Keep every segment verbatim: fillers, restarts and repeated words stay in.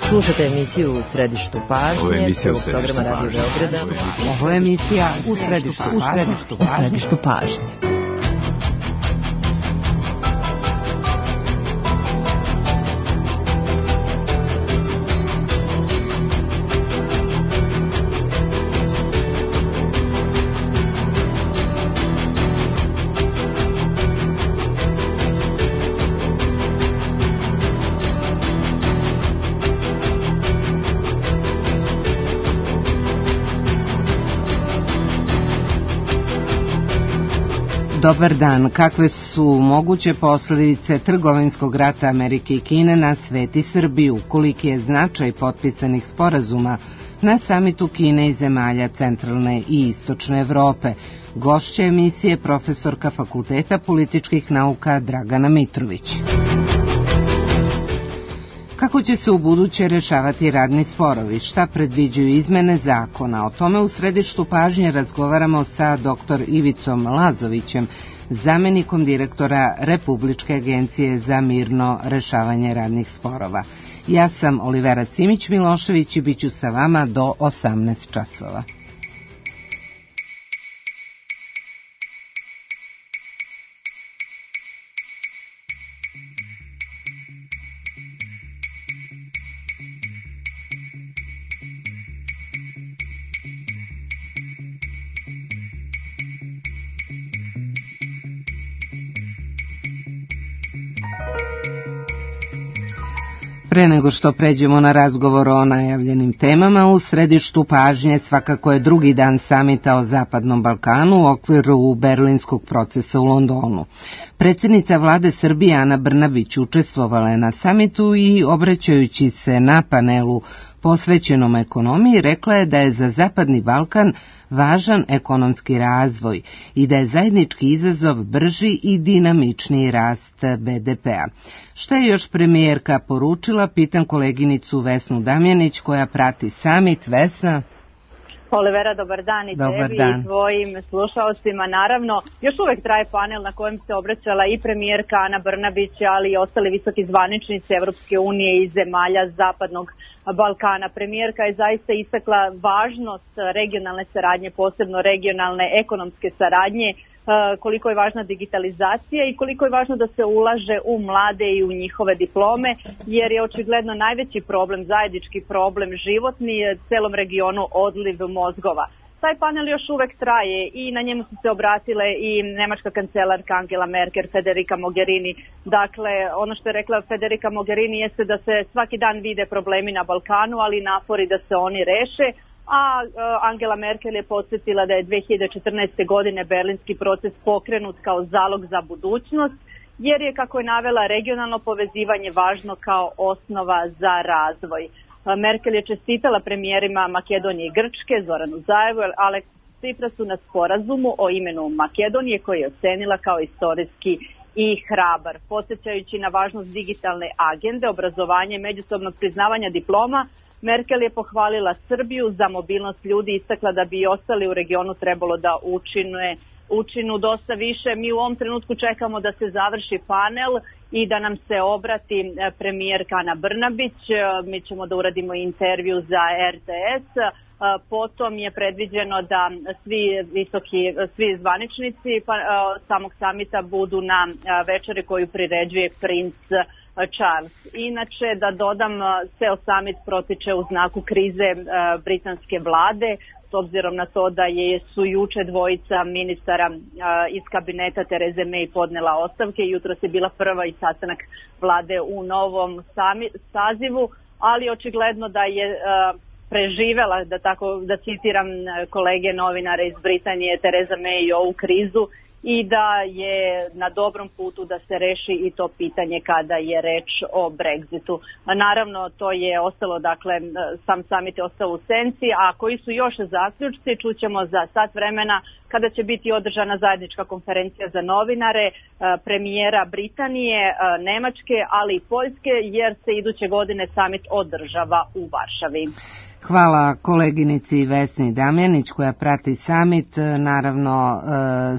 Slušate emisiju U središtu pažnje, prvog programa Radio Beograda. Ovo je emisija U središtu pažnje. U središtu pažnje. Dobar dan. Kakve su moguće posljedice trgovinskog rata Amerike i Kine na svet i Srbiju? Koliki je značaj potpisanih sporazuma na samitu Kine i zemalja centralne i istočne Evrope? Gošća emisije profesorka Fakulteta političkih nauka Dragana Mitrović. Kako će se u buduće rešavati radni sporovi? Šta predviđaju izmene zakona? O tome u središtu pažnje razgovaramo sa doktor Ivicom Lazovićem, zamenikom direktora Republičke agencije za mirno rešavanje radnih sporova. Ja sam Olivera Simić-Milošević i bit ću sa vama do osamnaest časova. Pre nego što pređemo na razgovor o najavljenim temama, u središtu pažnje svakako je drugi dan samita o Zapadnom Balkanu u okviru berlinskog procesa u Londonu. Predsjednica vlade Srbije Ana Brnabić učestvovala je na samitu i obraćajući se na panelu posvećenom ekonomiji rekla je da je za Zapadni Balkan važan ekonomski razvoj i da je zajednički izazov brži i dinamičniji rast be de pea. Šta je još premijerka poručila, pitam koleginicu Vesnu Damjanić koja prati samit. Vesna? Olivera, dobar dan i dobar tebi dan. I tvojim slušalcima. Naravno, još uvek traje panel na kojem se obraćala i premijerka Ana Brnabić, ali i ostali visoki zvaničnici Evropske unije i zemalja Zapadnog Balkana. Premijerka je zaista istakla važnost regionalne saradnje, posebno regionalne ekonomske saradnje, koliko je važna digitalizacija i koliko je važno da se ulaže u mlade i u njihove diplome, jer je očigledno najveći problem, zajednički problem životni celom regionu odliv mozgova. Taj panel još uvek traje i na njemu su se obratile i nemačka kancelarka Angela Merkel, Federica Mogherini. Dakle, ono što je rekla Federica Mogherini jeste da se svaki dan vide problemi na Balkanu, ali napori da se oni reše. A Angela Merkel je podsjetila da je dve hiljade četrnaeste. godine berlinski proces pokrenut kao zalog za budućnost, jer je, kako je navela, regionalno povezivanje važno kao osnova za razvoj. Merkel je čestitala premijerima Makedonije i Grčke, Zoranu Zaevu i Aleksu Ciprasu na sporazumu o imenu Makedonije koji je ocenila kao istorijski i hrabar. Podsjećajući na važnost digitalne agende, obrazovanje i međusobnog priznavanja diploma, Merkel je pohvalila Srbiju za mobilnost ljudi i istakla da bi i ostali u regionu trebalo da učine, učinu dosta više. Mi u ovom trenutku čekamo da se završi panel i da nam se obrati premijerka Ana Brnabić. Mi ćemo da uradimo intervju za er te es. Potom je predviđeno da svi visoki, svi zvaničnici samog samita budu na večeri koju priređuje princ Charles. Inače, da dodam, ceo samit protiče u znaku krize britanske vlade, s obzirom na to da je su juče dvojica ministara iz kabineta Tereze May podnela ostavke. Jutros je bila prva i sastanak vlade u novom sazivu, ali očigledno da je preživela, da tako da citiram kolege novinare iz Britanije, Tereza May ovu krizu i da je na dobrom putu da se reši i to pitanje kada je reč o Brexitu. Naravno, to je ostalo, dakle, sam samit je ostao u senci, a koji su još zaključci čućemo za sat vremena kada će biti održana zajednička konferencija za novinare premijera Britanije, Nemačke, ali i Poljske, jer se iduće godine samit održava u Varšavi. Hvala koleginici Vesni Damjanić koja prati samit, naravno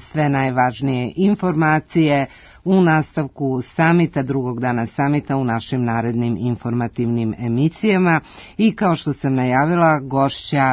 sve najvažnije informacije u nastavku samita, drugog dana samita u našim narednim informativnim emisijama. I kao što sam najavila, gošća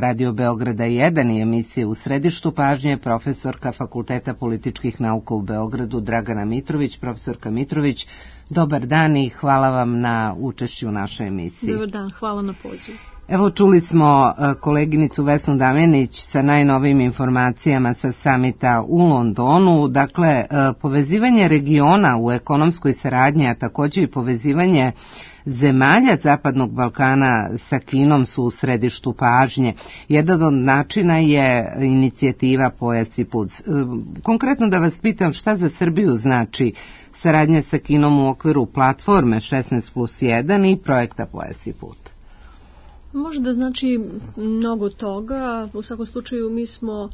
Radio Beograda jedan i emisije U središtu pažnje, profesorka Fakulteta političkih nauka u Beogradu Dragana Mitrović. Profesorka Mitrović, dobar dan i hvala vam na učešću u našoj emisiji. Dobar dan, hvala na pozivu. Evo, čuli smo koleginicu Vesnu Damjanić sa najnovijim informacijama sa samita u Londonu. Dakle, povezivanje regiona u ekonomskoj saradnji, a također i povezivanje zemalja Zapadnog Balkana sa Kinom su u središtu pažnje. Jedan od načina je inicijativa Pojas i put. Konkretno da vas pitam, šta za Srbiju znači saradnja sa Kinom u okviru platforme šesnaest plus jedan i projekta Pojas i put? Može da znači mnogo toga. U svakom slučaju mi smo uh,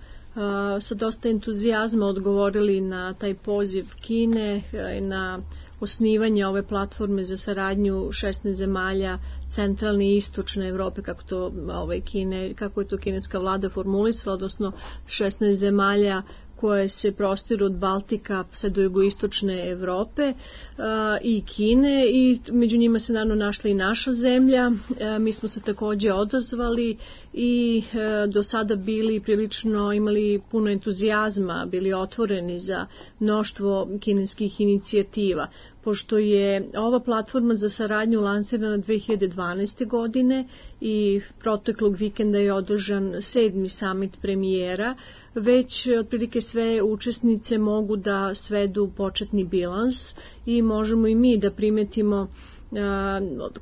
sa dosta entuzijazma odgovorili na taj poziv Kine i na osnivanje ove platforme za saradnju šesnaest zemalja centralne i istočne Evrope, kako to ovaj Kine, kako je to kineska vlada formulisala, odnosno šesnaest zemalja koje se prostiru od Baltika sve do jugoistočne Evrope uh, i Kine, i među njima se naravno našla i naša zemlja. Uh, mi smo se također odazvali i uh, do sada bili prilično, imali puno entuzijazma, bili otvoreni za mnoštvo kineskih inicijativa. Pošto je ova platforma za saradnju lansirana dve hiljade dvanaeste. godine i proteklog vikenda je održan sedmi samit premijera, već otprilike sve učesnice mogu da svedu početni bilans i možemo i mi da primetimo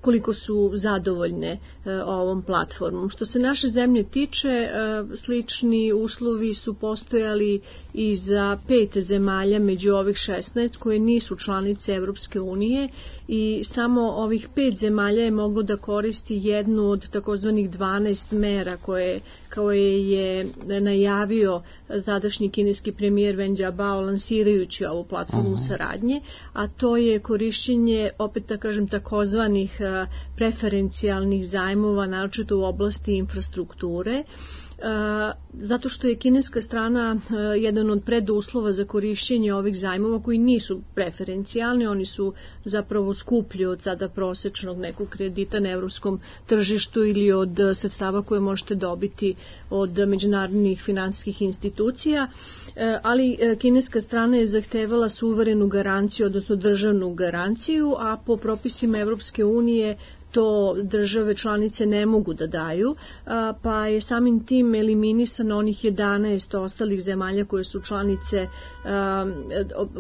koliko su zadovoljne ovom platformom. Što se naše zemlje tiče, slični uslovi su postojali i za pet zemalja među ovih šesnaest koje nisu članice Evropske unije, i samo ovih pet zemalja je moglo da koristi jednu od takozvanih dvanaest mera koje, koje je najavio tadašnji kineski premijer Wen Jiabao lansirajući ovu platformu uh-huh. saradnje, a to je korišćenje, opet da kažem, takozvanih preferencijalnih zajmova, naročito u oblasti infrastrukture, zato što je kineska strana jedan od preduslova za korišćenje ovih zajmova koji nisu preferencijalni, oni su zapravo skuplji od sada prosečnog nekog kredita na evropskom tržištu ili od sredstava koje možete dobiti od međunarodnih finansijskih institucija, ali kineska strana je zahtevala suverenu garanciju, odnosno državnu garanciju, a po propisima Evropske unije to države članice ne mogu da daju, pa je samim tim eliminisano onih jedanaest ostalih zemalja koje su članice,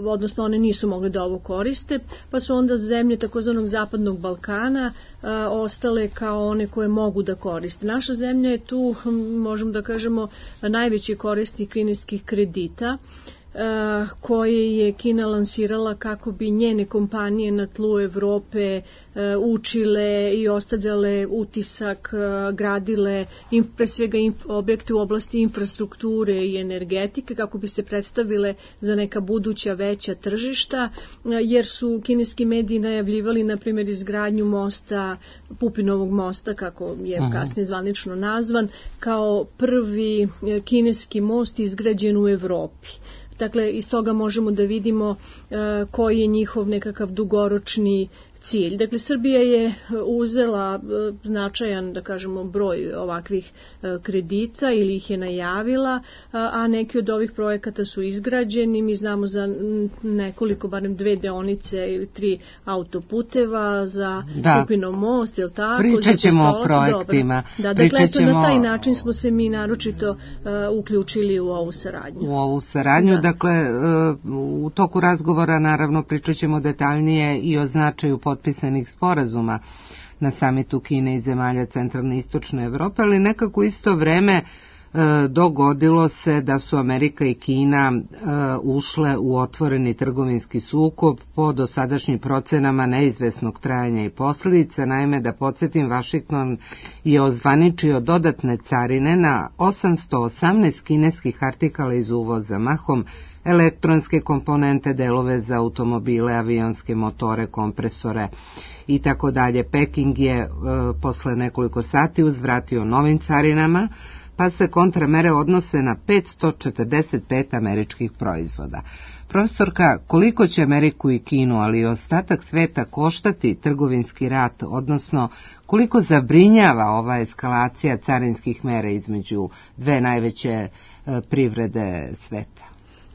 odnosno one nisu mogle da ovo koriste, pa su onda zemlje takozvanog Zapadnog Balkana ostale kao one koje mogu da koriste. Naša zemlja je tu, možemo da kažemo, najveći korisnik kineskih kredita, koje je Kina lansirala kako bi njene kompanije na tlu Evrope učile i ostavljale utisak, gradile pre svega objekte u oblasti infrastrukture i energetike kako bi se predstavile za neka buduća veća tržišta, jer su kineski mediji najavljivali na primjer izgradnju mosta, Pupinovog mosta, kako je Aha. kasnije zvanično nazvan, kao prvi kineski most izgrađen u Evropi. Dakle, iz toga možemo da vidimo uh, koji je njihov nekakav dugoročni cilj. Dakle, Srbija je uzela uh, značajan, da kažemo, broj ovakvih uh, kredita ili ih je najavila, uh, a neki od ovih projekata su izgrađeni. Mi znamo za nekoliko, barem dve deonice ili tri autoputeva, za Pupinov most, je li tako? Pričat ćemo o projektima. Da, dakle, eto, na taj način smo se mi naročito uh, uključili u ovu saradnju. U ovu saradnju, da. Dakle, uh, u toku razgovora naravno pričat ćemo detaljnije i o značaju potpisanih sporazuma na samitu Kine i zemalja centralne i istočne Evrope, ali nekako isto vreme e, dogodilo se da su Amerika i Kina e, ušle u otvoreni trgovinski sukob po dosadašnjim procenama neizvesnog trajanja i posljedica. Naime, da podsjetim, Vašington je ozvaničio dodatne carine na osamsto osamnaest kineskih artikala iz uvoza, mahom elektronske komponente, delove za automobile, avionske motore, kompresore i tako dalje. Peking je e, posle nekoliko sati uzvratio novim carinama pa se kontramere odnose na petsto četrdeset pet američkih proizvoda. Profesorka, koliko će Ameriku i Kinu, ali i ostatak sveta koštati trgovinski rat, odnosno koliko zabrinjava ova eskalacija carinskih mera između dve najveće privrede sveta?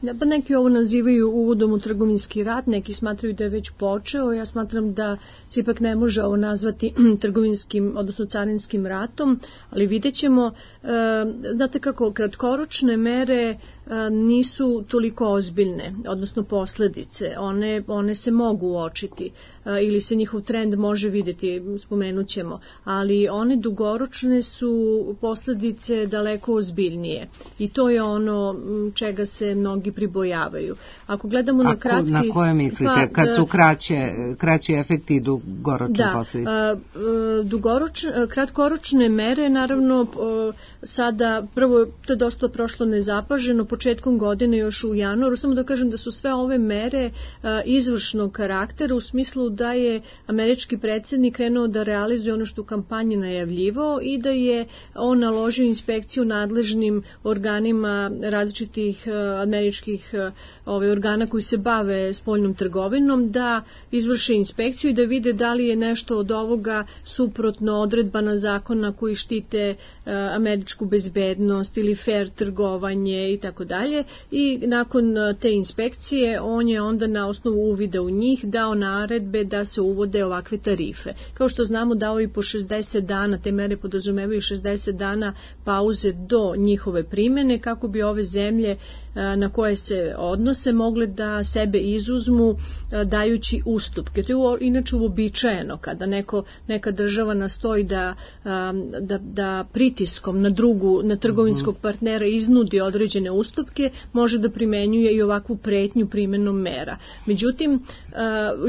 Da, pa neki ovo nazivaju uvodom u trgovinski rat, neki smatraju da je već počeo, ja smatram da se ipak ne može ovo nazvati trgovinskim, odnosno carinskim ratom, ali vidjet ćemo, e, znate kako, kratkoročne mere e, nisu toliko ozbiljne, odnosno posljedice, one, one se mogu uočiti e, ili se njihov trend može vidjeti, spomenut ćemo, ali one dugoročne su posljedice daleko ozbiljnije i to je ono čega se mnogi pribojavaju. Ako gledamo na kratki... Na koje mislite? Pa, kad su kraće, kraći efekti i dugoročne da, posljedice? Da, kratkoročne mere, naravno, sada, prvo, to je dosta prošlo nezapaženo, početkom godine, još u januaru, samo da kažem da su sve ove mere izvršnog karaktera, u smislu da je američki predsjednik krenuo da realizuje ono što u kampanji najavljivao i da je on naložio inspekciju nadležnim organima različitih američkih ove organa koji se bave spoljnom trgovinom da izvrše inspekciju i da vide da li je nešto od ovoga suprotno odredbama zakona koji štite uh, američku bezbednost ili fair trgovanje i tako dalje. I nakon te inspekcije on je onda na osnovu uvida u njih dao naredbe da se uvode ovakve tarife. Kao što znamo, dao i po šezdeset dana, te mere podrazumevaju šezdeset dana pauze do njihove primjene kako bi ove zemlje na koje se odnose mogle da sebe izuzmu dajući ustupke. To je inače uobičajeno kada neko, neka država nastoji da, da, da pritiskom na drugu, na trgovinskog partnera iznudi određene ustupke, može da primenjuje i ovakvu pretnju primjenom mera. Međutim,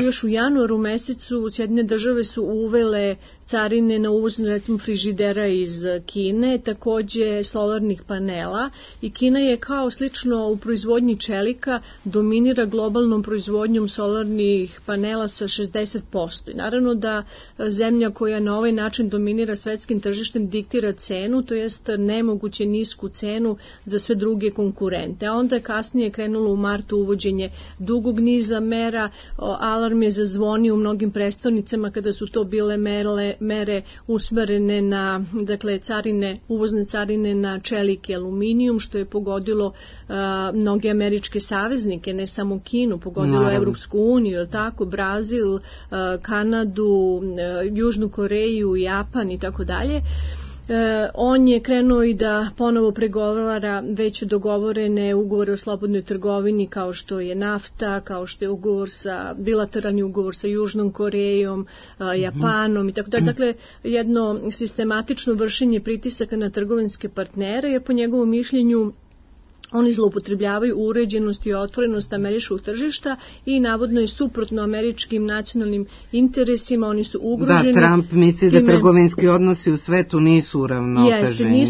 još u januaru mesecu Sjedinjene države su uvele carine na uvoz, recimo, frižidera iz Kine, takođe solarnih panela, i Kina je kao slično u proizvodnji čelika dominira globalnom proizvodnjom solarnih panela sa šezdeset posto. I naravno da zemlja koja na ovaj način dominira svetskim tržištem diktira cenu, to jest nemoguće nisku cenu za sve druge konkurente. A onda je kasnije krenulo u martu uvođenje dugog niza mera, alarm je zazvonio u mnogim prestonicama kada su to bile mere, mere usmerene na, dakle, carine, uvozne carine na čelik i aluminijum, što je pogodilo uh, mnoge američke saveznike, ne samo Kinu, pogodilo Naravno. Evropsku uniju, tako, Brazil, uh, Kanadu, uh, Južnu Koreju, Japan i tako dalje. On je krenuo i da ponovo pregovara već dogovorene ugovore o slobodnoj trgovini kao što je nafta, kao što je ugovor sa, bilateralni ugovor sa Južnom Korejom, Japanom i tako dalje. Dakle, jedno sistematično vršenje pritisaka na trgovinske partnere, jer po njegovom mišljenju oni zloupotrebljavaju uređenost i otvorenost američkog tržišta i navodno je suprotno američkim nacionalnim interesima, oni su ugroženi. Da, Trump misli da trgovinski odnosi u svetu nisu uravnoteženi i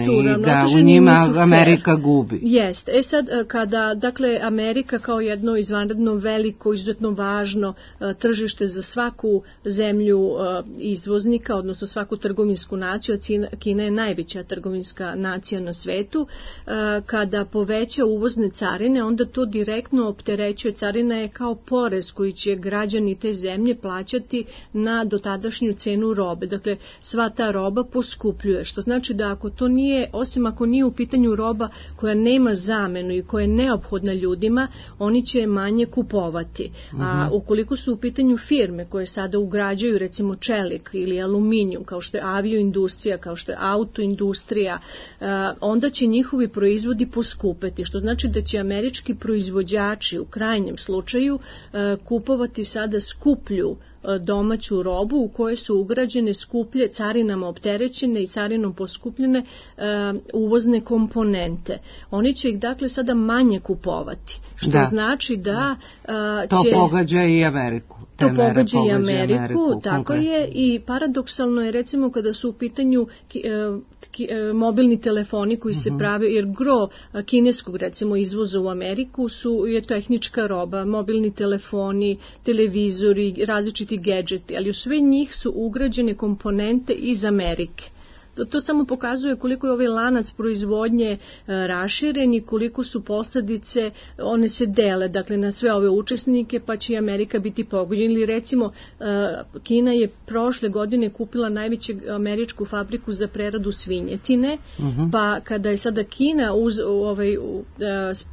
da u njima Amerika gubi. Jeste. E sad, kada, dakle, Amerika kao jedno izvanredno veliko, izuzetno važno tržište za svaku zemlju izvoznika, odnosno svaku trgovinsku naciju, a Kina je najveća trgovinska nacija na svetu, kada poveća uvozne carine, onda to direktno opterećuje. Carina je kao porez koji će građani te zemlje plaćati na dotadašnju cenu robe. Dakle, sva ta roba poskupljuje, što znači da ako to nije, osim ako nije u pitanju roba koja nema zamenu i koja je neophodna ljudima, oni će manje kupovati. Uh-huh. A ukoliko su u pitanju firme koje sada ugrađuju, recimo, čelik ili aluminijum, kao što je avioindustrija, kao što je autoindustrija, onda će njihovi proizvodi poskupeti, što znači da će američki proizvođači u krajnjem slučaju kupovati sada skuplju domaću robu u kojoj su ugrađene skuplje, carinama opterećene i carinom poskupljene uh, uvozne komponente. Oni će ih, dakle, sada manje kupovati, što da. znači da uh, to će... pogađa i Ameriku. To pogađa i Ameriku, Ameriku tako konkretno. Je, i paradoksalno je, recimo, kada su u pitanju ki, ki, mobilni telefoni koji uh-huh. se prave, jer gro kineskog, recimo, izvoza u Ameriku su, je tehnička roba, mobilni telefoni, televizori, različiti gadgeti, ali u sve njih su ugrađene komponente iz Amerike. To, to samo pokazuje koliko je ovaj lanac proizvodnje raširen i koliko su posljedice, one se dele, dakle, na sve ove učesnike, pa će i Amerika biti pogođena. Ili recimo, Kina je prošle godine kupila najveću američku fabriku za preradu svinjetine, uh-huh. pa kada je sada Kina uz, ovaj,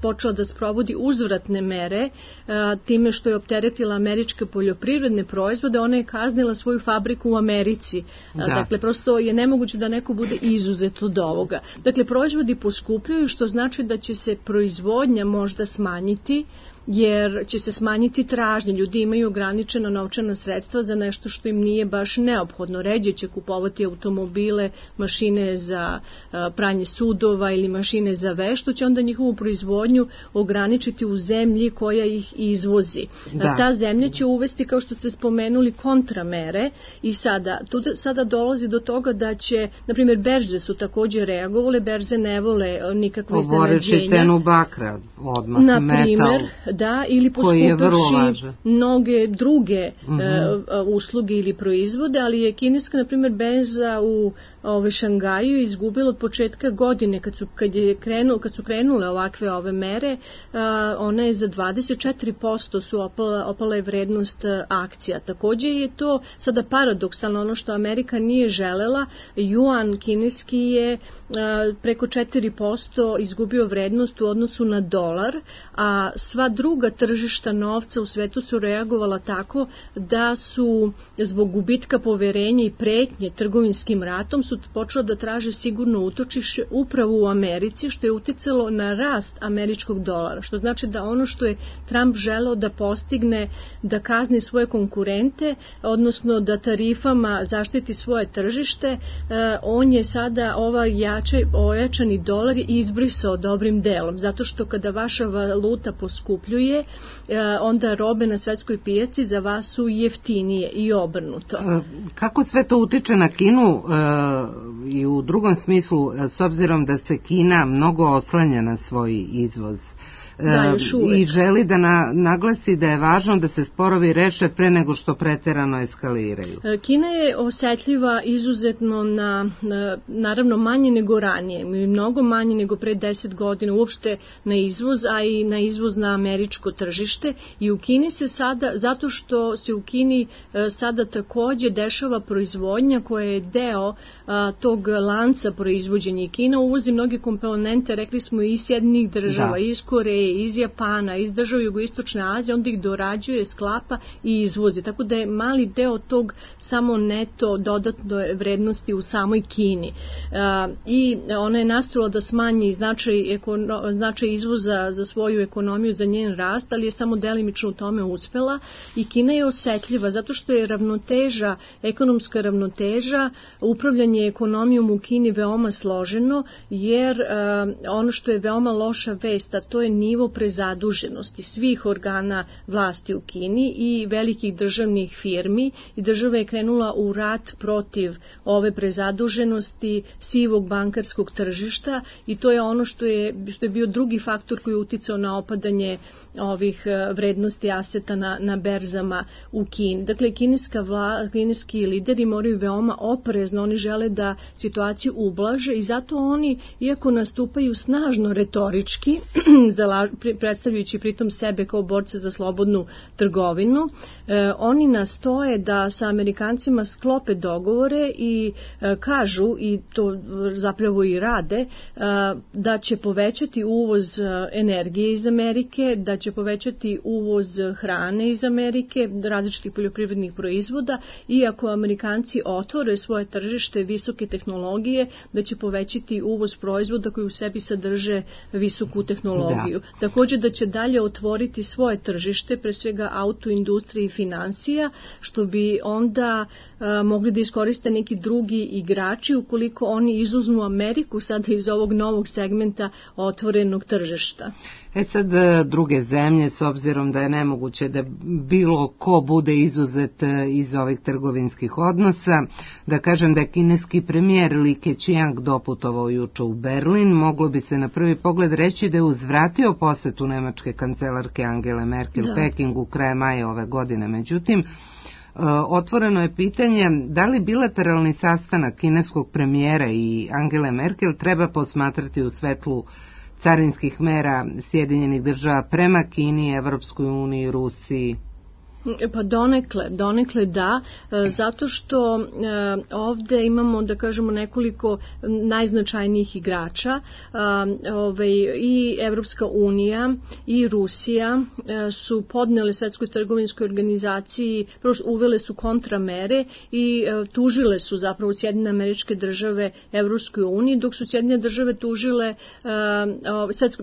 počela da sprovodi uzvratne mere, time što je opteretila američke poljoprivredne proizvode, ona je kaznila svoju fabriku u Americi. Da. Dakle, prosto je nemoguće da neko bude izuzet od ovoga. Dakle, proizvodi poskupljuju, što znači da će se proizvodnja možda smanjiti, jer će se smanjiti tražnje. Ljudi imaju ograničena novčana sredstva za nešto što im nije baš neophodno. Ređe će kupovati automobile, mašine za pranje sudova ili mašine za veš, što će onda njihovu proizvodnju ograničiti u zemlji koja ih izvozi. Da. Ta zemlja će uvesti, kao što ste spomenuli, kontramere i sada, tu sada dolazi do toga da će, na primjer, berze su također reagovale, berze ne vole nikakve iznenađenja. Poboreći cenu bakra, odmah na metal. Primer, da, ili poskupavši mnoge druge uh-huh. e, usluge ili proizvode, ali je kineska, na primjer, berza u ove, Šangaju izgubila od početka godine, kad su, kad je krenu, kad su krenule ovakve ove mere, a, ona je za dvadeset četiri posto su opala, opala je vrednost akcija. Također je to sada paradoksalno, ono što Amerika nije želela, juan kineski je a, preko četiri posto izgubio vrednost u odnosu na dolar, a sva druga tržišta novca u svetu su reagovala tako da su zbog gubitka poverenja i pretnje trgovinskim ratom su počela da traže sigurno utočište upravo u Americi, što je uticalo na rast američkog dolara. Što znači da ono što je Trump želeo da postigne, da kazni svoje konkurente, odnosno da tarifama zaštiti svoje tržište, on je sada ovaj jačaj, ojačani dolar izbrisao dobrim delom. Zato što kada vaša valuta poskupljuje, onda robe na svetskoj pijaci za vas su jeftinije i obrnuto. Kako sve to utiče na Kinu i u drugom smislu, s obzirom da se Kina mnogo oslanja na svoj izvoz? Da, i želi da na, naglasi da je važno da se sporovi reše pre nego što preterano eskaliraju. Kina je osetljiva izuzetno na, na naravno manje nego ranije, mnogo manje nego pre deset godina uopšte na izvoz, a i na izvoz na američko tržište, i u Kini se sada, zato što se u Kini sada takođe dešava proizvodnja koja je deo a, tog lanca proizvođenja. Kina uvozi mnoge komponente, rekli smo, iz Sjedinjenih država, da. iz Koreje, iz Japana, iz država Jugoistočne Azije, onda ih dorađuje, sklapa i izvozi. Tako da je mali deo tog samo neto dodatne vrednosti u samoj Kini. A, I ona je nastojala da smanji značaj, ekono, značaj izvoza za svoju ekonomiju, za njen rast, ali je samo delimično u tome uspela. I Kina je osetljiva zato što je ravnoteža, ekonomska ravnoteža, upravljanje ekonomijom u Kini veoma složeno, jer a, ono što je veoma loša vest, a to je nivo prezaduženosti svih organa vlasti u Kini i velikih državnih firmi, i država je krenula u rat protiv ove prezaduženosti, sivog bankarskog tržišta, i to je ono što je, što je bio drugi faktor koji je uticao na opadanje ovih vrednosti aseta na, na berzama u Kini. Dakle, kineska vla, kineski lideri moraju veoma oprezno, oni žele da situaciju ublaže i zato oni, iako nastupaju snažno retorički, predstavljajući pritom sebe kao borce za slobodnu trgovinu, eh, oni nastoje da sa Amerikancima sklope dogovore i eh, kažu, i to zapravo i rade, eh, da će povećati uvoz energije iz Amerike, da će povećati uvoz hrane iz Amerike, različitih poljoprivrednih proizvoda, i ako Amerikanci otvore svoje tržište visoke tehnologije, da će povećati uvoz proizvoda koji u sebi sadrže visoku tehnologiju. Da. Također da će dalje otvoriti svoje tržište, pre svega autoindustrije i financija, što bi onda a, mogli da iskoriste neki drugi igrači ukoliko oni izuzmu Ameriku sada iz ovog novog segmenta otvorenog tržišta. E sad, druge zemlje, s obzirom da je nemoguće da bilo ko bude izuzet iz ovih trgovinskih odnosa, da kažem da je kineski premijer Li Keqiang doputovao juče u Berlin, moglo bi se na prvi pogled reći da je uzvratio posetu nemačke kancelarke Angele Merkel da. Pekingu krajem maja ove godine. Međutim, Otvoreno je pitanje da li bilateralni sastanak kineskog premijera i Angele Merkel treba posmatrati u svetlu carinskih mera Sjedinjenih država prema Kini, Evropskoj uniji, Rusiji. Pa donekle, donekle da, zato što ovde imamo, da kažemo, nekoliko najznačajnijih igrača, i Evropska unija i Rusija su podnele Svetskoj trgovinskoj organizaciji, uvele su kontramere i tužile su zapravo Sjedinjene Američke Države Evropskoj uniji, dok su Sjedinjene Države tužile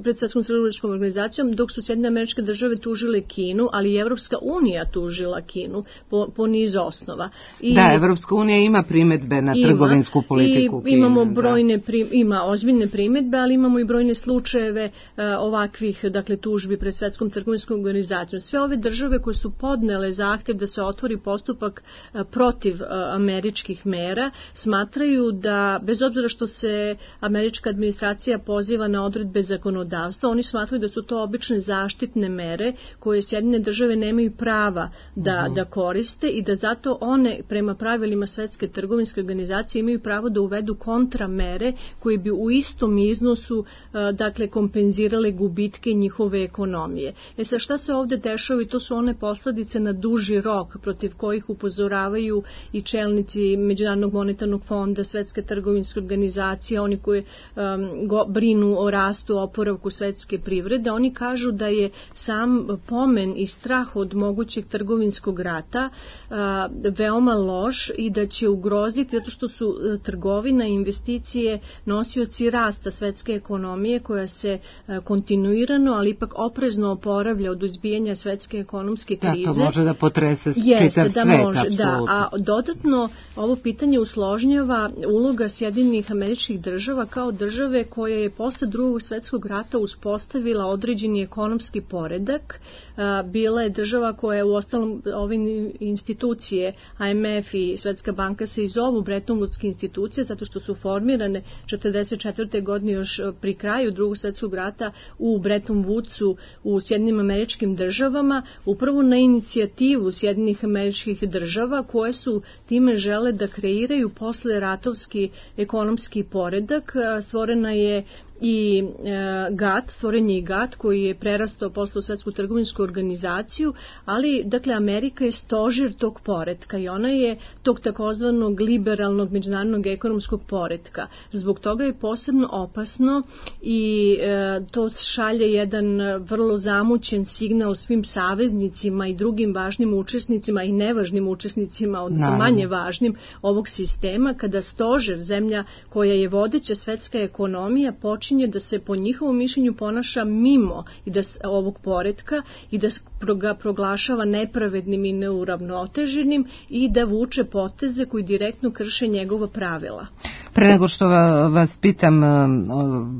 pred Svetskom trgovinskom organizacijom, dok su Sjedinjene Američke Države tužile Kinu, ali i Evropska unija tužila Kinu po, po niz osnova. I da, Evropska unija ima primetbe na ima, trgovinsku politiku Kine. Imamo brojne, pri, ima ozbiljne primetbe, ali imamo i brojne slučajeve uh, ovakvih, dakle, tužbi pred Svetskom trgovinskom organizacijom. Sve ove države koje su podnele zahtev da se otvori postupak uh, protiv uh, američkih mera, smatraju da, bez obzira što se američka administracija poziva na odredbe zakonodavstva, oni smatraju da su to obične zaštitne mere koje Sjedinjene države nemaju prava da, da koriste i da zato one prema pravilima Svetske trgovinske organizacije imaju pravo da uvedu kontramere koje bi u istom iznosu dakle kompenzirale gubitke njihove ekonomije. E sad šta se ovde dešava i to su one posledice na duži rok protiv kojih upozoravaju i čelnici Međunarodnog monetarnog fonda, Svetske trgovinske organizacije, oni koji um, go, brinu o rastu, oporavku svetske privrede. Oni kažu da je sam pomen i strah od mogućeg trgovinskog rata a, veoma loš i da će ugroziti, zato što su a, trgovina i investicije nosioci rasta svetske ekonomije koja se a, kontinuirano, ali ipak oprezno oporavlja od izbijanja svetske ekonomske krize. Da, to može da potrese Jeste, čitav da svet, može, da, a dodatno ovo pitanje usložnjava uloga Sjedinjenih Američkih Država kao države koja je posle drugog svetskog rata uspostavila određeni ekonomski poredak. A, bila je država koja je u ostalom ove institucije, I M F i Svetska banka se i zovu Bretton Woodske institucije zato što su formirane četrdeset četvrte godine još pri kraju drugog svjetskog rata u Bretton Woodsu u Sjedinjenim Američkim Državama, upravo na inicijativu Sjedinjenih Američkih Država koje su time žele da kreiraju posle ratovski ekonomski poredak. Stvorena je i e, G A T, stvoren je i G A T koji je prerastao posle u Svetsku trgovinsku organizaciju, ali dakle Amerika je stožir tog poretka i ona je tog takozvanog liberalnog međunarodnog ekonomskog poretka. Zbog toga je posebno opasno i e, to šalje jedan vrlo zamućen signal svim saveznicima i drugim važnim učesnicima i nevažnim učesnicima, odnosno manje važnim ovog sistema, kada stožer, zemlja koja je vodeća svetska ekonomija, počinje da se po njihovom mišljenju ponaša mimo i da ovog poretka i da ga proglašava nepravednim i neuravnoteženim i da vuče poteze koji direktno krše njegova pravila. Pre nego što vas pitam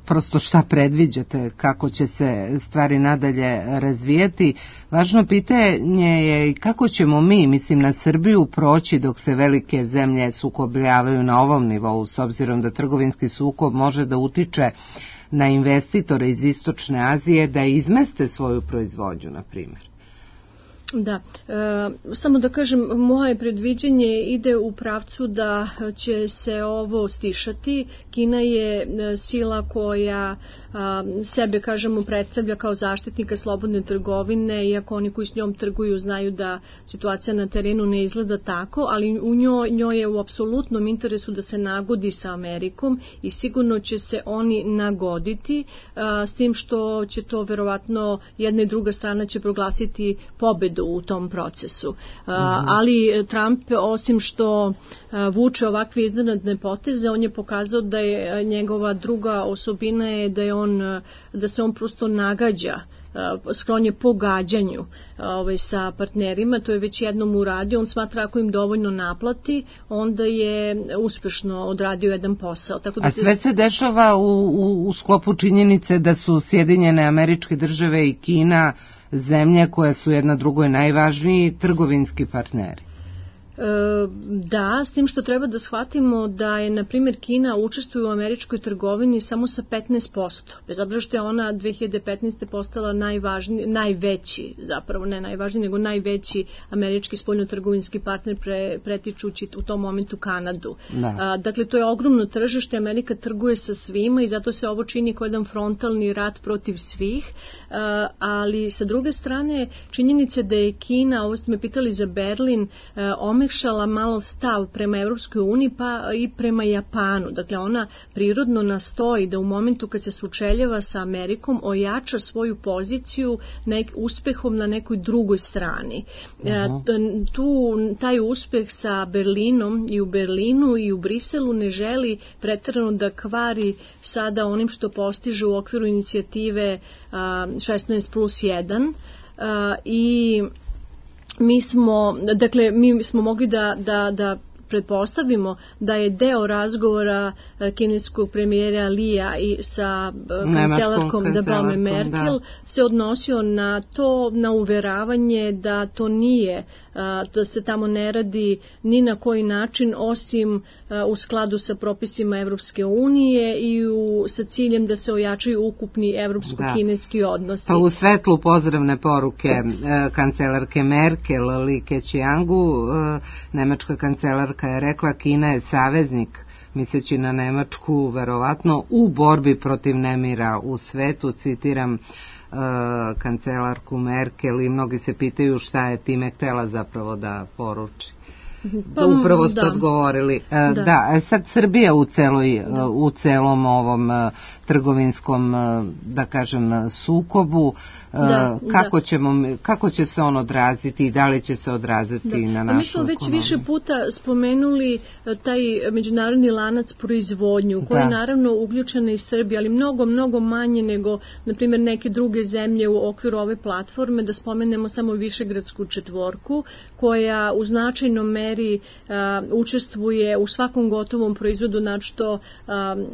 prosto šta predviđate, kako će se stvari nadalje razvijati, važno pitanje je kako ćemo mi, mislim na Srbiju, proći dok se velike zemlje sukobljavaju na ovom nivou, s obzirom da trgovinski sukob može da utiče na investitore iz Istočne Azije da izmeste svoju proizvodnju, na primjer. Da, e, samo da kažem, moje predviđanje ide u pravcu da će se ovo stišati. Kina je sila koja a, sebe, kažemo, predstavlja kao zaštitnika slobodne trgovine, iako oni koji s njom trguju znaju da situacija na terenu ne izgleda tako, ali u njoj, njoj je u apsolutnom interesu da se nagodi sa Amerikom i sigurno će se oni nagoditi, a, s tim što će to verovatno jedna i druga strana će proglasiti pobedu u tom procesu. Uh, ali Trump, osim što uh, vuče ovakve iznenadne poteze, on je pokazao da je njegova druga osobina je da je on, da se on prosto nagađa, sklon je pogađanju ovaj, sa partnerima, to je već jednom uradio, on smatra ako im dovoljno naplati, onda je uspešno odradio jedan posao. Tako da A sve se dešava u, u, u sklopu činjenice da su Sjedinjene Američke Države i Kina zemlje koje su jedna drugoj najvažniji trgovinski partneri. Da, s tim što treba da shvatimo da je, na primjer, Kina učestvuje u američkoj trgovini samo sa petnaest posto. Bez obzira što je ona dve hiljade petnaeste. postala najvažniji, najveći, zapravo ne najvažniji, nego najveći američki spoljnotrgovinski partner pre, pretičući u tom momentu Kanadu. Da. Dakle, to je ogromno tržište, Amerika trguje sa svima i zato se ovo čini kao jedan frontalni rat protiv svih, ali sa druge strane činjenice da je Kina, ovo ste me pitali za Berlin, omekšala malo stav prema Evropskoj uniji pa i prema Japanu. Dakle, ona prirodno nastoji da u momentu kad se sučeljava sa Amerikom ojača svoju poziciju nek, uspehom na nekoj drugoj strani. Uh-huh. Tu taj uspeh sa Berlinom i u Berlinu i u Briselu ne želi preterano da kvari sada onim što postiže u okviru inicijative šesnaest plus jedan i mi smo, dakle, mi smo mogli da, da, da pretpostavimo da je deo razgovora kineskog premijera Lija i sa kancelarkom Dabome Merkel da. se odnosio na to, na uveravanje da to nije, da se tamo ne radi ni na koji način osim u skladu sa propisima Evropske unije i u, sa ciljem da se ojačaju ukupni evropsko-kineski odnosi. Pa u svetlu pozdravne poruke kancelarke Merkel, Li Keqiangu, nemačka kancelarka je rekla Kina je saveznik, misleći na Nemačku, verovatno, u borbi protiv nemira u svetu, citiram uh, kancelarku Merkel i mnogi se pitaju šta je time htela zapravo da poruči. Pa, upravo ste da. odgovorili. Da. da, sad Srbija u, celoj, da. u celom ovom trgovinskom, da kažem, sukobu, da, kako, da. Ćemo, kako će se on odraziti i da li će se odraziti da. na našu Mi smo već ekonomiju? Više puta spomenuli taj međunarodni lanac proizvodnju, koji da. je naravno uključena i Srbija, ali mnogo, mnogo manje nego, na primjer, neke druge zemlje u okviru ove platforme, da spomenemo samo Višegradsku četvorku, koja u značajnom meri Uh, učestvuje u svakom gotovom proizvodu, našto uh,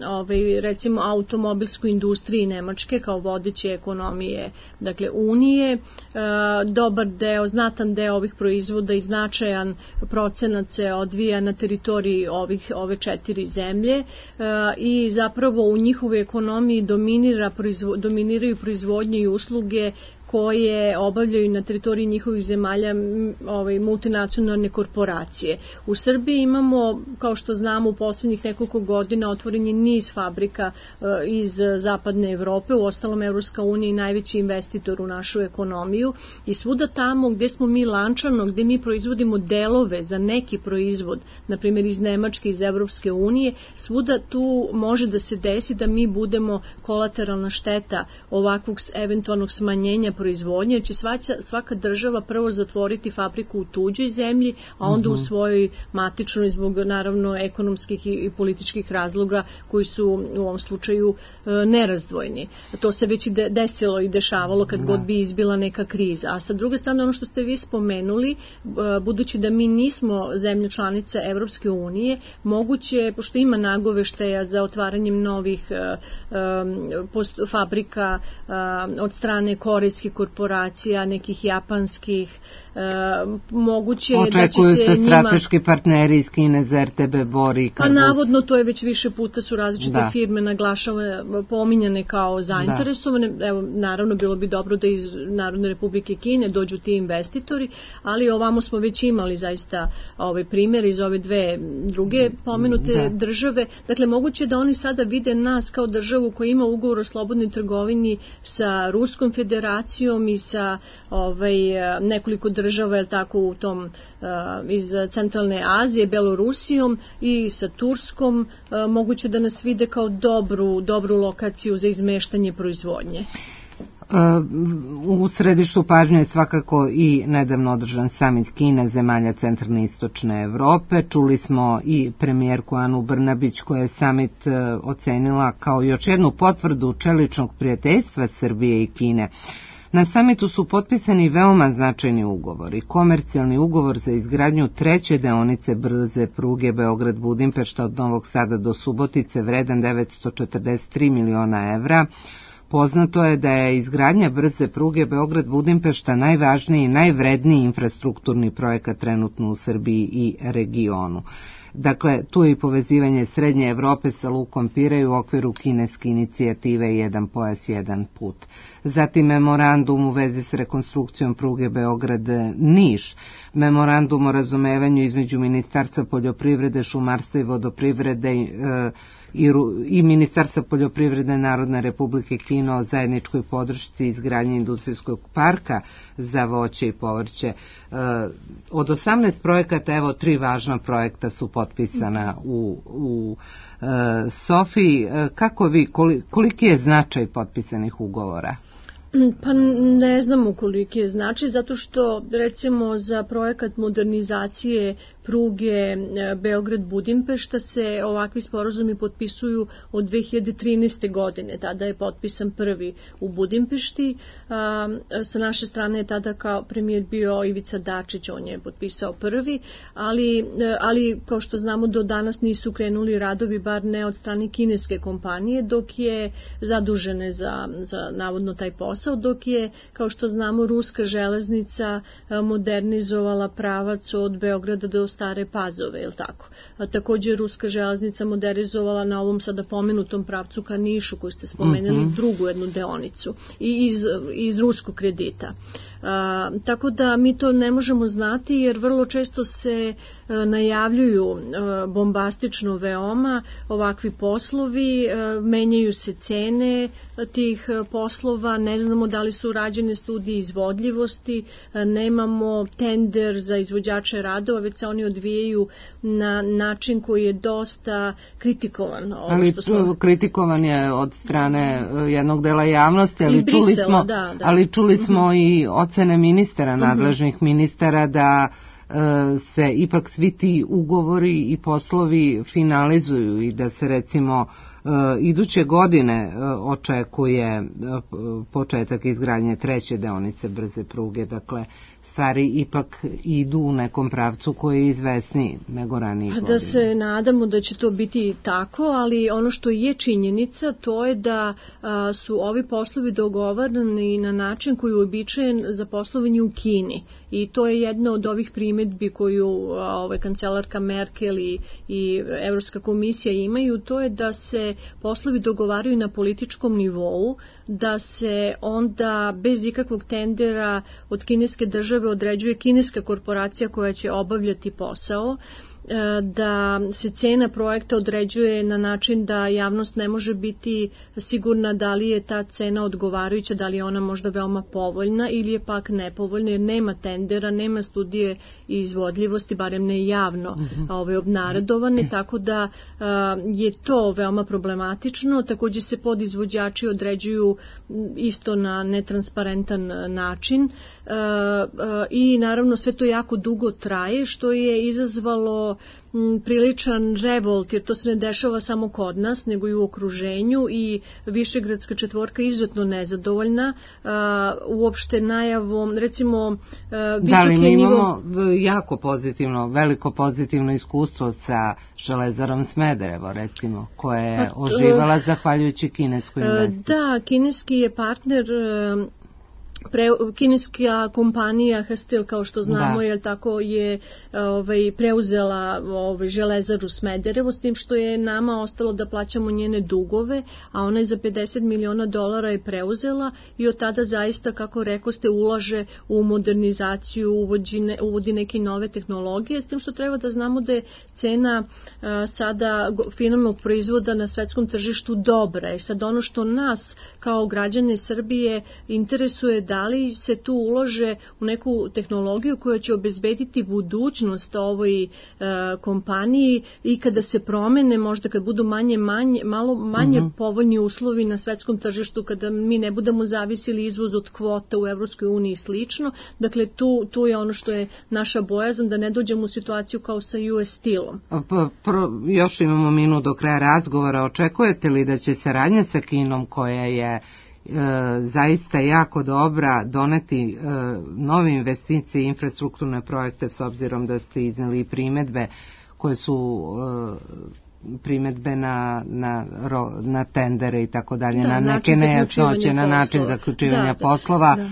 ovaj, recimo automobilsku industriji Nemačke kao vodeće ekonomije, dakle Unije. Uh, dobar deo, znatan deo ovih proizvoda i značajan procenat se odvija na teritoriji ovih, ove četiri zemlje uh, i zapravo u njihovoj ekonomiji dominira, proizvo, dominiraju proizvodnje i usluge koje obavljaju na teritoriji njihovih zemalja ovaj, multinacionalne korporacije. U Srbiji imamo, kao što znamo, u posljednjih nekoliko godina otvoren je niz fabrika uh, iz zapadne Evrope, u ostalom Evropska unija je najveći investitor u našu ekonomiju i svuda tamo gdje smo mi lančano, gdje mi proizvodimo delove za neki proizvod, na primjer iz Nemačke, iz Evropske unije, svuda tu može da se desi da mi budemo kolateralna šteta ovakvog eventualnog smanjenja proizvodnje, jer će svaka, svaka država prvo zatvoriti fabriku u tuđoj zemlji, a onda uh-huh. u svojoj matičnoj zbog naravno ekonomskih i, i političkih razloga koji su u ovom slučaju e, nerazdvojni. To se već i de, desilo i dešavalo kad da. god bi izbila neka kriza. A sa druge strane, ono što ste vi spomenuli, e, budući da mi nismo zemlja članica Evropske unije, moguće, pošto ima nagoveštaja za otvaranjem novih e, e, post, fabrika e, od strane korejskih korporacija, nekih japanskih, e, moguće očekuju da će se, se strateški njima... partneri iz Kine za R T B Bor i Pa navodno to je već više puta su različite da. firme naglašavane, pominjane kao zainteresovane. Da. Evo, naravno bilo bi dobro da iz Narodne Republike Kine dođu ti investitori, ali ovamo smo već imali zaista ovaj primjer iz ove dve druge pomenute da. države. Dakle, moguće da oni sada vide nas kao državu koja ima ugovor o slobodnoj trgovini sa Ruskom federacijom i sa ovaj, nekoliko država, je tako, u tom uh, iz centralne Azije, Belorusijom i sa Turskom, uh, moguće da nas vide kao dobru, dobru lokaciju za izmeštanje proizvodnje. U središtu pažnje je svakako i nedavno održan samit Kine zemalja centralne i istočne Evrope. Čuli smo i premijerku Anu Brnabić koja je samit ocenila kao još jednu potvrdu čeličnog prijateljstva Srbije i Kine. Na samitu su potpisani veoma značajni ugovori. Komercijalni ugovor za izgradnju treće deonice brze pruge Beograd-Budimpešta od Novog Sada do Subotice vredan devetsto četrdeset tri miliona evra, Poznato je da je izgradnja brze pruge Beograd-Budimpešta najvažniji i najvredniji infrastrukturni projekat trenutno u Srbiji i regionu. Dakle, tu je i povezivanje Srednje Evrope sa lukom Pirej u okviru kineske inicijative Jedan pojas, jedan put. Zatim memorandum u vezi s rekonstrukcijom pruge Beograd-Niš, memorandum o razumevanju između Ministarstva poljoprivrede, šumarstva i vodoprivrede e, i, i Ministarstva poljoprivrede Narodne Republike Kine o zajedničkoj podršci izgradnje industrijskog parka za voće i povrće. E, od osamnaest projekata, evo, tri važna projekta su potpisana u, u e, Sofiji. E, kako vi, koliki je značaj potpisanih ugovora? Pa ne znamo koliki je značaj, zato što recimo za projekat modernizacije pruge Beograd-Budimpešta se ovakvi sporazumi potpisuju od dve hiljade trinaeste. godine. Tada je potpisan prvi u Budimpešti. Sa naše strane je tada kao premijer bio Ivica Dačić, on je potpisao prvi, ali, ali kao što znamo do danas nisu krenuli radovi, bar ne od strane kineske kompanije, dok je zadužene za, za navodno taj posao, dok je, kao što znamo, ruska železnica modernizovala pravac od Beograda do Stare Pazove, je li tako? A također ruska železnica modernizovala na ovom sada pomenutom pravcu ka Nišu, koju ste spomenuli, mm-hmm. drugu jednu deonicu i iz, iz ruskog kredita. A, tako da mi to ne možemo znati, jer vrlo često se a, najavljuju a, bombastično veoma ovakvi poslovi, a, menjaju se cene a, tih a, poslova, ne znamo da li su rađene studije izvodljivosti, a, nemamo tender za izvođače radova, već se oni odvijaju na način koji je dosta kritikovan. Ovo ali što smo... kritikovan je od strane jednog dela javnosti, ali Brisela, čuli smo, da, da. ali čuli smo mm-hmm. i ocene ministara, nadležnih mm-hmm. ministara da e, se ipak svi ti ugovori i poslovi finalizuju i da se recimo e, iduće godine e, očekuje e, početak izgradnje treće deonice brze pruge, dakle stvari ipak idu u nekom pravcu koji je izvesniji nego ranije godine. Da se nadamo da će to biti tako, ali ono što je činjenica, to je da a, su ovi poslovi dogovarani na način koji je uobičajen za poslovanje u Kini. I to je jedna od ovih primedbi koju a, ovaj, kancelarka Merkel i, i Evropska komisija imaju, to je da se poslovi dogovaraju na političkom nivou, da se onda bez ikakvog tendera od kineske države određuje kineska korporacija koja će obavljati posao, da se cena projekta određuje na način da javnost ne može biti sigurna da li je ta cena odgovarajuća, da li je ona možda veoma povoljna ili je pak nepovoljna, jer nema tendera, nema studije izvodljivosti, barem ne javno ove obnaredovane, tako da je to veoma problematično. Također se podizvođači određuju isto na netransparentan način i naravno sve to jako dugo traje, što je izazvalo priličan revolt, jer to se ne dešava samo kod nas, nego i u okruženju, i Višegradska četvorka je izuzetno nezadovoljna uh, uopšte najavom, recimo uh, da li mi imamo nivo... jako pozitivno, veliko pozitivno iskustvo sa Železarom Smederevo, recimo, koja je pa, oživala zahvaljujući kineskoj investiciji. Da, kineski je partner uh, Pre, kineska kompanija Hastel, kao što znamo, je tako, je ovaj, preuzela ovaj, Železaru Smederevo, s tim što je nama ostalo da plaćamo njene dugove, a ona je za pedeset miliona dolara je preuzela i od tada zaista, kako rekoste, ulaže u modernizaciju, uvodi, ne, uvodi neke nove tehnologije, s tim što treba da znamo da je cena a, sada finalnog proizvoda na svetskom tržištu dobra. I sad ono što nas kao građane Srbije interesuje, da li se tu ulože u neku tehnologiju koja će obezbediti budućnost ovoj e, kompaniji i kada se promene, možda kad budu manje, manje, malo manje uh-huh. povoljni uslovi na svetskom tržištu, kada mi ne budemo zavisili izvoz od kvota u Evropskoj uniji i slično. Dakle, tu, tu je ono što je naša bojazan, da ne dođemo u situaciju kao sa U S Steel-om. Pro, još imamo minut do kraja razgovora. Očekujete li da će saradnja sa Kinom, koja je E, zaista jako dobra, doneti e, nove investicije i infrastrukturne projekte, s obzirom da ste izneli primedbe koje su e, primetbe na, na, na tendere i tako dalje, na neke nejasnoće, na način zaključivanja da, poslova. Da.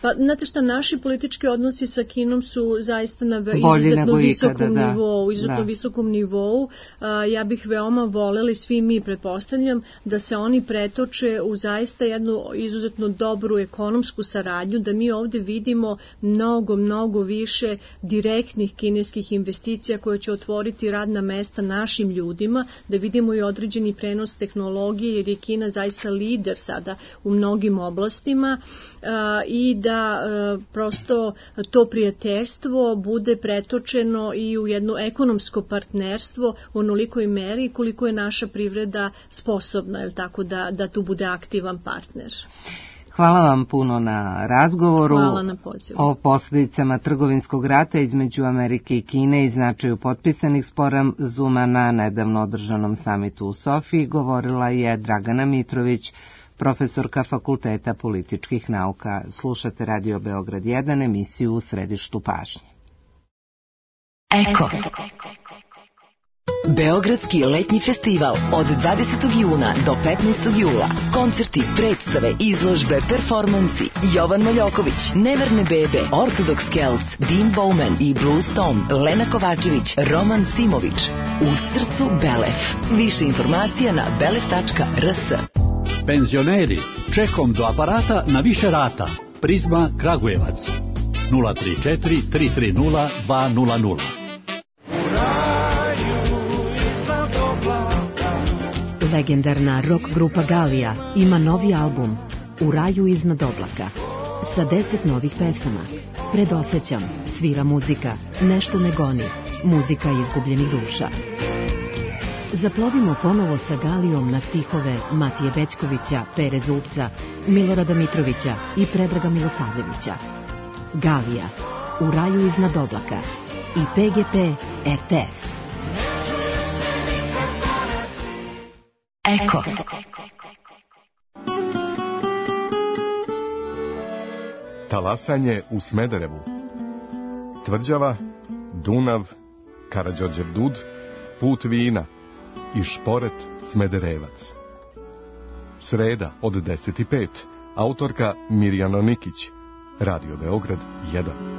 Pa, znate šta, naši politički odnosi sa Kinom su zaista na izuzetno visokom ikada, nivou, izuzetno da. visokom nivou. A, ja bih veoma voljeli, svi mi pretpostavljam, da se oni pretoče u zaista jednu izuzetno dobru ekonomsku saradnju, da mi ovde vidimo mnogo, mnogo više direktnih kineskih investicija koje će otvoriti radna mesta našim ljudima, da vidimo i određeni prenos tehnologije, jer je Kina zaista lider sada u mnogim oblastima a, i da da e, prosto to prijateljstvo bude pretočeno i u jedno ekonomsko partnerstvo u onolikoj meri koliko je naša privreda sposobna, je tako, da, da tu bude aktivan partner. Hvala vam puno na razgovoru. Hvala na pozivu. O posljedicama trgovinskog rata između Amerike i Kine i značaju potpisanih sporazuma na nedavno održanom samitu u Sofiji govorila je Dragana Mitrović, profesorka Fakulteta političkih nauka. Slušate Radio Beograd jedan, emisiju U središtu pažnje. Eko. Beogradski letnji festival od dvadesetog juna do petnaestog jula. Koncerti, predstave, izložbe, performansi. Jovan Maljoković, Neverne bebe, Orthodox Celts, Dean Bowman i Blues Tom, Lena Kovačević, Roman Simović. U srcu Belef. Više informacija na belef tačka r s. Penzioneri, čekom do aparata na više rata. Prizma Kragujevac. nula tri četiri tri tri nula dva nula nula. Legendarna rock grupa Galija ima novi album U raju iznad oblaka sa deset novih pesama. Predosećam, svira muzika, nešto me goni, muzika izgubljenih duša. Zaplovimo ponovo sa Galijom na stihove Matije Bećkovića, Pere Zupca, Milorada Mitrovića i Predraga Milosavljevića. Galija, U raju iznad oblaka i P G P R T S. Eko. Talasanje u Smederevu. Tvrđava, Dunav, Karađorđev Dud, Put vina i Šporet Smederevac. Sreda od deset i pet. Autorka Mirjana Nikić. Radio Beograd jedan.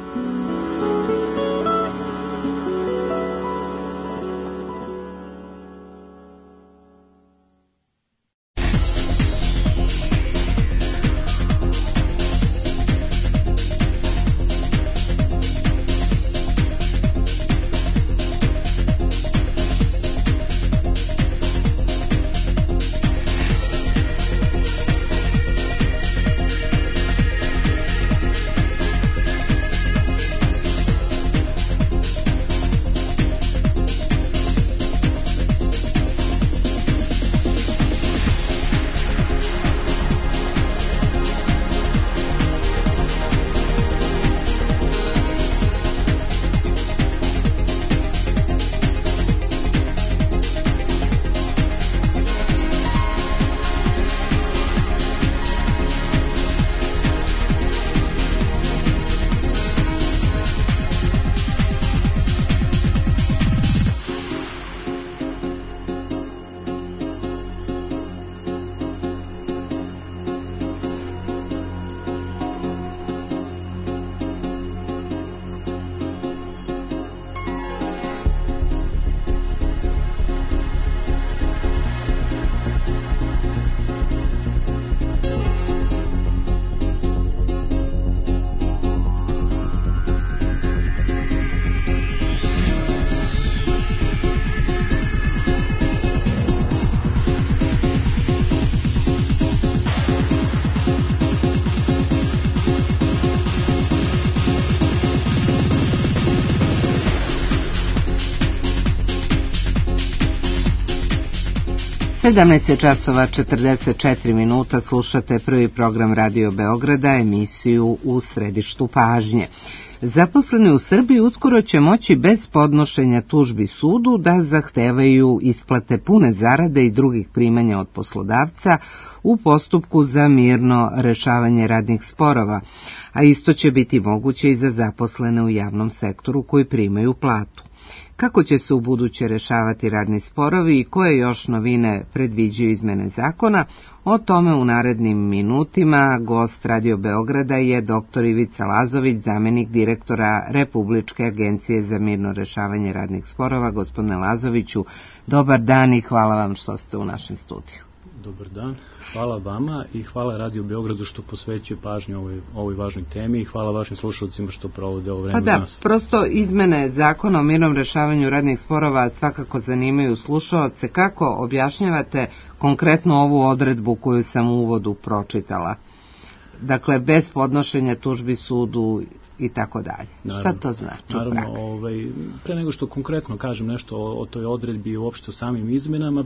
sedamnaest časova četrdeset četiri minuta, slušate prvi program Radio Beograda, emisiju U središtu pažnje. Zaposleni u Srbiji uskoro će moći bez podnošenja tužbi sudu da zahtevaju isplate pune zarade i drugih primanja od poslodavca u postupku za mirno rešavanje radnih sporova, a isto će biti moguće i za zaposlene u javnom sektoru koji primaju platu. Kako će se u buduće rešavati radni sporovi i koje još novine predviđaju izmene zakona? O tome u narednim minutima. Gost Radio Beograda je doktor Ivica Lazović, zamenik direktora Republičke agencije za mirno rešavanje radnih sporova. Gospodine Lazoviću, dobar dan i hvala vam što ste u našem studiju. Dobar dan, hvala vama i hvala Radio Beogradu što posvećuje pažnju ovoj, ovoj važnoj temi i hvala vašim slušalcima što provode ovo vreme. Pa da, nas. Prosto izmene zakona o mirnom rešavanju radnih sporova svakako zanimaju slušaoce. Kako objašnjavate konkretno ovu odredbu koju sam u uvodu pročitala? Dakle, bez podnošenja tužbi sudu i tako dalje. Šta to znači naravno, u praksi? Ovaj, pre nego što konkretno kažem nešto o, o toj odredbi i uopšte o samim izmenama,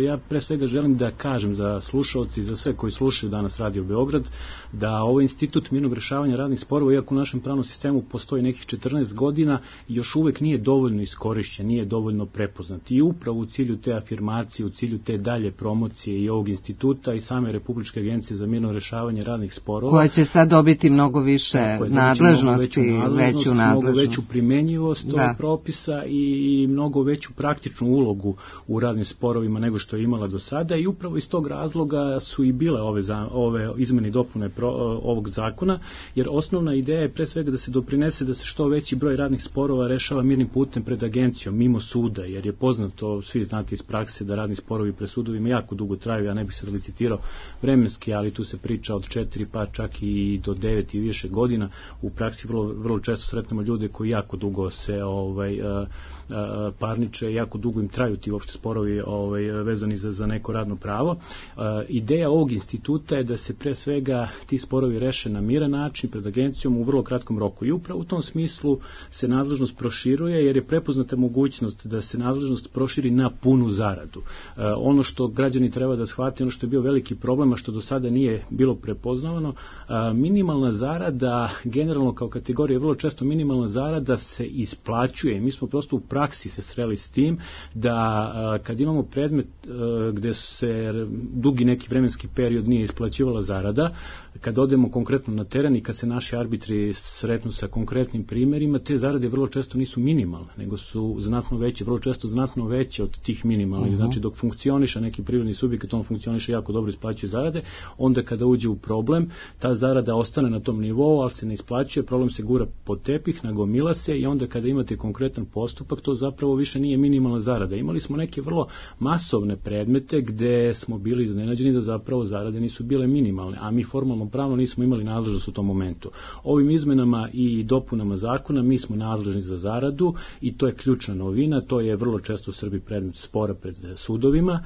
ja pre svega želim da kažem za slušaoci i za sve koji slušaju danas Radio Beograd, da ovaj institut mirnog rešavanja radnih sporova, iako u našem pravnom sistemu postoji nekih četrnaest godina, još uvek nije dovoljno iskorišćen, nije dovoljno prepoznat. I upravo u cilju te afirmacije, u cilju te dalje promocije i ovog instituta i same Republičke agencije za mirno rešavanje radnih sporova, koja će sad dobiti mnogo više nadležnosti, veću nadležnost, veću nadležnost. mnogo veću primenjivost ovog propisa i mnogo veću praktičnu ulogu u radnim sporovima nego što je imala do sada i upravo iz tog razloga su i bile ove, za, ove izmene i dopune pro, ovog zakona, jer osnovna ideja je pre svega da se doprinese da se što veći broj radnih sporova rešava mirnim putem pred agencijom, mimo suda, jer je poznato, svi znate iz prakse, da radni sporovi pred sudovima jako dugo traju, ja ne bih sad licitirao vremenski, ali tu se priča od četiri pa čak i do devet i više godina. U praksi vrlo, vrlo često sretnemo ljude koji jako dugo se ovaj, a, a, parniče, jako dugo im traju ti uopšte sporovi ovaj, vezani za, za neko radno pravo. A, ideja ovog instituta je da se pre svega ti sporovi reše na miran način pred agencijom u vrlo kratkom roku i upravo u tom smislu se nadležnost proširuje, jer je prepoznata mogućnost da se nadležnost proširi na punu zaradu. A, ono što građani treba da shvate, ono što je bio veliki problem, a što do sada nije bilo prepoznavano, a, minimalna zarada generalno kao kategorija, vrlo često minimalna zarada se isplaćuje. Mi smo prosto u praksi se sreli s tim da a, kad imamo predmet a, gde se dugi neki vremenski period nije isplaćivala zarada, kad odemo konkretno na teren i kad se naši arbitri sretnu sa konkretnim primjerima, te zarade vrlo često nisu minimalne, nego su znatno veće, vrlo često znatno veće od tih minimalnih. Uh-huh. Znači dok funkcioniše neki privredni subjekt, on funkcioniše jako dobro, isplaćuje zarade, onda kada uđe u problem, ta zarada ostane na tom nivou, ali se ne isplaćuje, problem se gura pod tepih, nagomila se i onda kada imate konkretan postupak, to zapravo više nije minimalna zarada. Imali smo neke vrlo masovne predmete gde smo bili iznenađeni da zapravo zarade nisu bile minimalne, a mi formalno pravno nismo imali nadležnost u tom momentu. Ovim izmenama i dopunama zakona mi smo nadležni za zaradu i to je ključna novina, to je vrlo često u Srbiji predmet spora pred sudovima,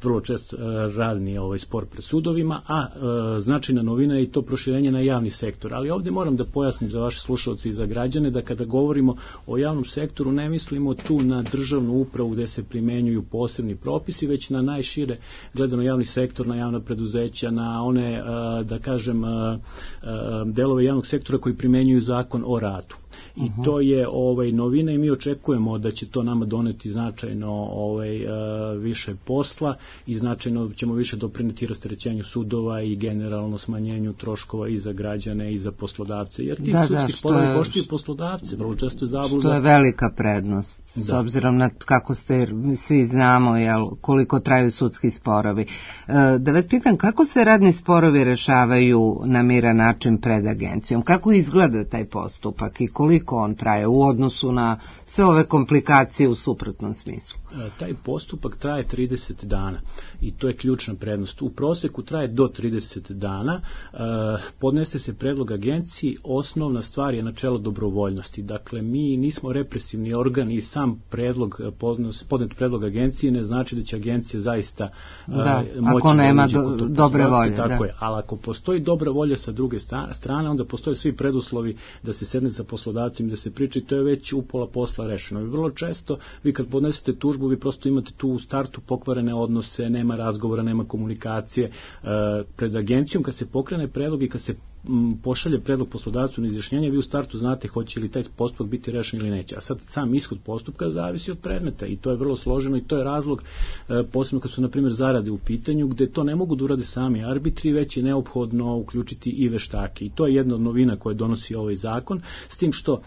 vrlo često radni ovaj spor pred sudovima, a značajna novina je i to proširenje na javni sektor. Ali ovdje moram da pojasnim za vaše slušalce i za građane da kada govorimo o javnom sektoru ne mislimo tu na državnu upravu gde se primenjuju posebni propisi, već na najšire gledano javni sektor, na javna preduzeća, na one, da kažem, delove javnog sektora koji primenjuju zakon o radu. I uh-huh. to je ovaj novina i mi očekujemo da će to nama doneti značajno ovaj uh, više posla i značajno ćemo više doprineti rasterećenju sudova i generalno smanjenju troškova i za građane i za poslodavce, jer ti da, sudski sporovi koštaju poslodavce, vrlo često je zabluda. Što je velika prednost, da. S obzirom na kako ste svi znamo jel, koliko traju sudski sporovi. Uh, da vas pitam, kako se radni sporovi rešavaju na miran način pred agencijom? Kako izgleda taj postupak i koliko on traje u odnosu na sve ove komplikacije u suprotnom smislu? Taj postupak traje trideset dana i to je ključna prednost. U proseku traje do trideset dana, podnese se predlog agenciji, osnovna stvar je načelo dobrovoljnosti. Dakle, mi nismo represivni organ i sam predlog, podnet predlog agencije ne znači da će agencija zaista da, moći ako nema da do, dobre volje. Tako da. je, ali ako postoji dobra volja sa druge strane, onda postoje svi preduslovi da se sedne sa poslodavcima, da se priča i to je već upola posla rešeno. I vrlo često vi kad podnesete tužbu, vi prosto imate tu u startu pokvarene odnose, nema razgovora, nema komunikacije e, pred agencijom. Kad se pokrene predlog i kad se pošalje predlog poslodavcu na izjašnjenje, vi u startu znate hoće li taj postupak biti rešen ili neće. A sad sam ishod postupka zavisi od predmeta i to je vrlo složeno i to je razlog, posebno kad su na primjer zarade u pitanju, gde to ne mogu da urade sami arbitri, već je neophodno uključiti i veštake. I to je jedna od novina koje donosi ovaj zakon, s tim što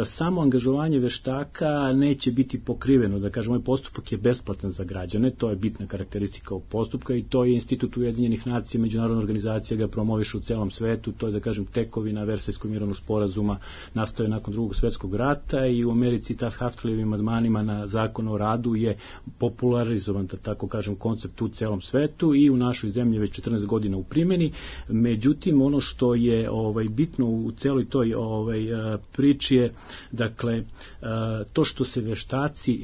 samo angažovanje veštaka neće biti pokriveno, da kažem, ovaj postupak je besplatan za građane, to je bitna karakteristika ovog postupka i to je Institut Ujedinjenih nacija, međunarodna organizacija ga promoviše u celom svetu, to je, da kažem, tekovina Versajskog mirovnog sporazuma, nastaje nakon drugog svetskog rata i u Americi ta s Haftleyevim amandmanima na zakon o radu je popularizovan, da tako kažem, koncept u celom svetu i u našoj zemlji već četrnaest godina u primjeni. Međutim, ono što je ovaj bitno u celoj toj ovaj priči je, dakle, to što se veštaci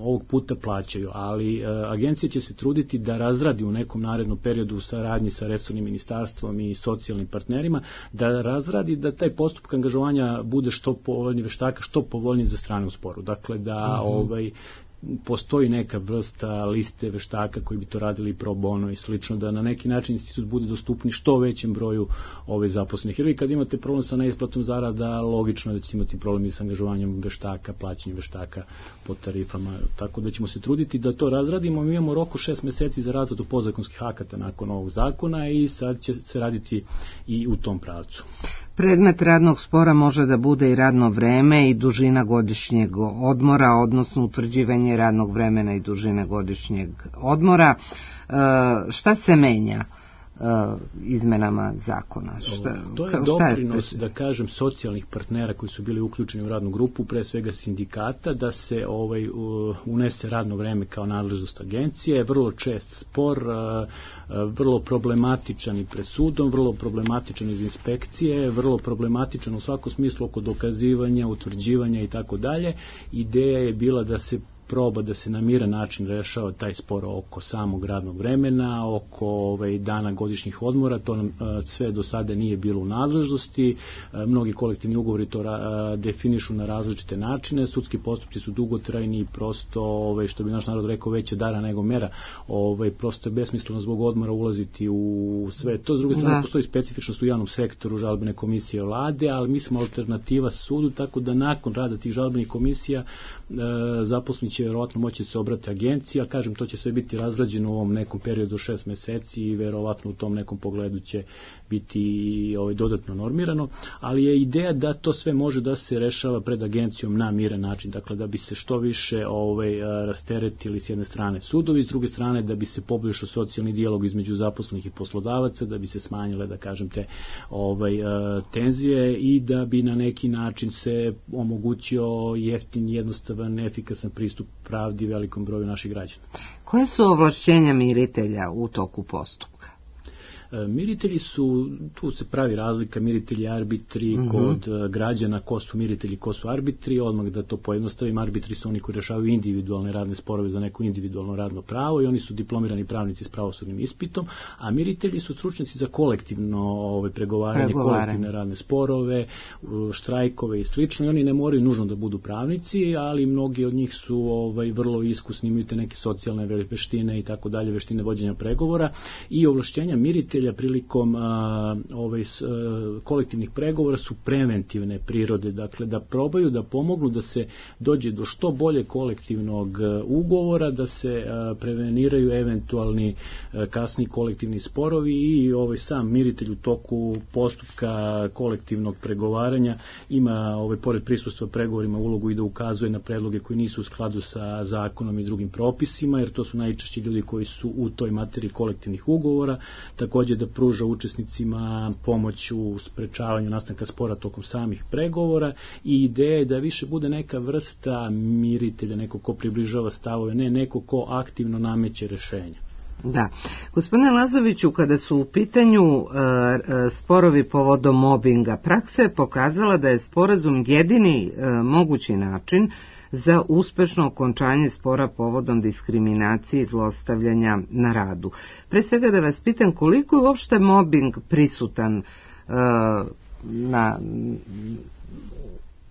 ovog puta plaćaju, ali agencija će se truditi da razradi u nekom narednom periodu u saradnji sa resornim ministarstvom i socijalnim partnerima, da razradi da taj postupak angažovanja bude što povoljniji veštaka, što povoljniji za strane u sporu. Dakle, da mm-hmm. ovaj postoji neka vrsta liste veštaka koji bi to radili pro bono i slično, da na neki način institut bude dostupni što većem broju ove zaposlenih. Jer vi kad imate problem sa neisplatom zarada, logično je da ćete imati problem i sa angažovanjem veštaka, plaćanjem veštaka po tarifama, tako da ćemo se truditi da to razradimo. Mi imamo rok od šest meseci za razradu podzakonskih akata nakon ovog zakona i sad će se raditi i u tom pravcu. Predmet radnog spora može da bude i radno vreme i dužina godišnjeg odmora, odnosno utvrđivanje radnog vremena i dužine godišnjeg odmora. E, šta se menja e, izmenama zakona? Šta, to je doprinos, je da kažem, socijalnih partnera koji su bili uključeni u radnu grupu, pre svega sindikata, da se ovaj unese radno vreme kao nadležnost agencije. Vrlo čest spor, vrlo problematičan i pred sudom, vrlo problematičan iz inspekcije, vrlo problematičan u svakom smislu oko dokazivanja, utvrđivanja i tako dalje. Ideja je bila da se proba da se na miran način rešava taj spor oko samog radnog vremena, oko ovaj, dana godišnjih odmora, to nam a, sve do sada nije bilo u nadležnosti, a, mnogi kolektivni ugovori to a, definišu na različite načine, sudski postupci su dugotrajni i prosto, ovaj, što bi naš narod rekao, veće dara nego mera, ovaj, prosto je besmisleno zbog odmora ulaziti u sve to. S druge strane, da. Postoji specifičnost u javnom sektoru, žalbene komisije vlade, ali mi smo alternativa sudu, tako da nakon rada tih žalbenih komisija a, zaposleni će verovatno moći se obrati agenciji, a kažem, to će sve biti razrađeno u ovom nekom periodu šest meseci i verovatno u tom nekom pogledu će biti ovaj, dodatno normirano, ali je ideja da to sve može da se rešava pred agencijom na miran način, dakle da bi se što više ovaj, rasteretili s jedne strane sudovi, s druge strane da bi se poboljšao socijalni dijalog između zaposlenih i poslodavaca, da bi se smanjile, da kažem, te ovaj, tenzije i da bi na neki način se omogućio jeftin, jednostavan, efikasan pristup pravdi velikom broju naših građana. Koje su ovlašćenja miritelja u toku postupka? Miritelji su, tu se pravi razlika, miritelji arbitri, uh-huh. kod građana, ko su miritelji, ko su arbitri, odmah da to pojednostavim, arbitri su oni koji rešavaju individualne radne sporove za neko individualno radno pravo i oni su diplomirani pravnici s pravosudnim ispitom, a miritelji su stručnjaci za kolektivno ovaj, pregovaranje, pregovaranje, kolektivne radne sporove, štrajkove i slično, i oni ne moraju nužno da budu pravnici, ali mnogi od njih su ovaj, vrlo iskusni, imaju te neke socijalne veštine i tako dalje, veštine vođenja pregovora i ovlašćenja miritelja prilikom a, ovaj, s, a, kolektivnih pregovora su preventivne prirode, dakle da probaju da pomognu da se dođe do što bolje kolektivnog ugovora, da se a, preveniraju eventualni a, kasni kolektivni sporovi i ovaj sam miritelj u toku postupka kolektivnog pregovaranja ima ovaj, pored prisustva pregovorima ulogu i da ukazuje na predloge koji nisu u skladu sa zakonom i drugim propisima, jer to su najčešće ljudi koji su u toj materiji kolektivnih ugovora, također da pruža učesnicima pomoć u sprečavanju nastanka spora tokom samih pregovora i ideja je da više bude neka vrsta miritelja, neko ko približava stavove, ne neko ko aktivno nameće rešenja. Da. Gospodine Lazoviću, kada su u pitanju e, e, sporovi povodom mobinga, praksa je pokazala da je sporazum jedini e, mogući način za uspešno okončanje spora povodom diskriminacije i zlostavljanja na radu. Pre svega da vas pitam, koliko je uopšte mobing prisutan e, na,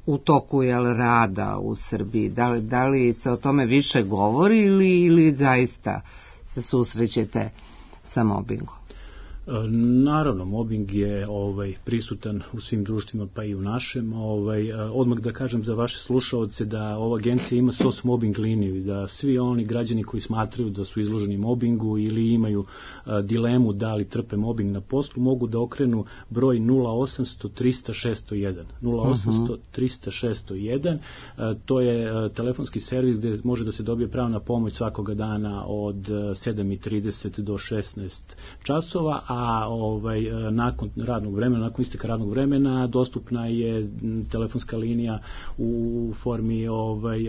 u toku jel, rada u Srbiji? Da li, da li se o tome više govori ili, ili zaista se susrećete sa mobingom? Naravno, mobbing je ovaj, prisutan u svim društvima, pa i u našem. Ovaj, odmah da kažem za vaše slušaoce da ova agencija ima S O S mobbing liniju i da svi oni građani koji smatraju da su izloženi mobbingu ili imaju a, dilemu da li trpe mobbing na poslu, mogu da okrenu broj nula osamsto trista šesto jedan. nula osamsto trista šesto jedan, a, to je a, telefonski servis gde može da se dobije pravna pomoć svakoga dana od sedam i trideset do šesnaest časova, a a ovaj, nakon radnog vremena, nakon isteka radnog vremena, dostupna je telefonska linija u formi ovaj,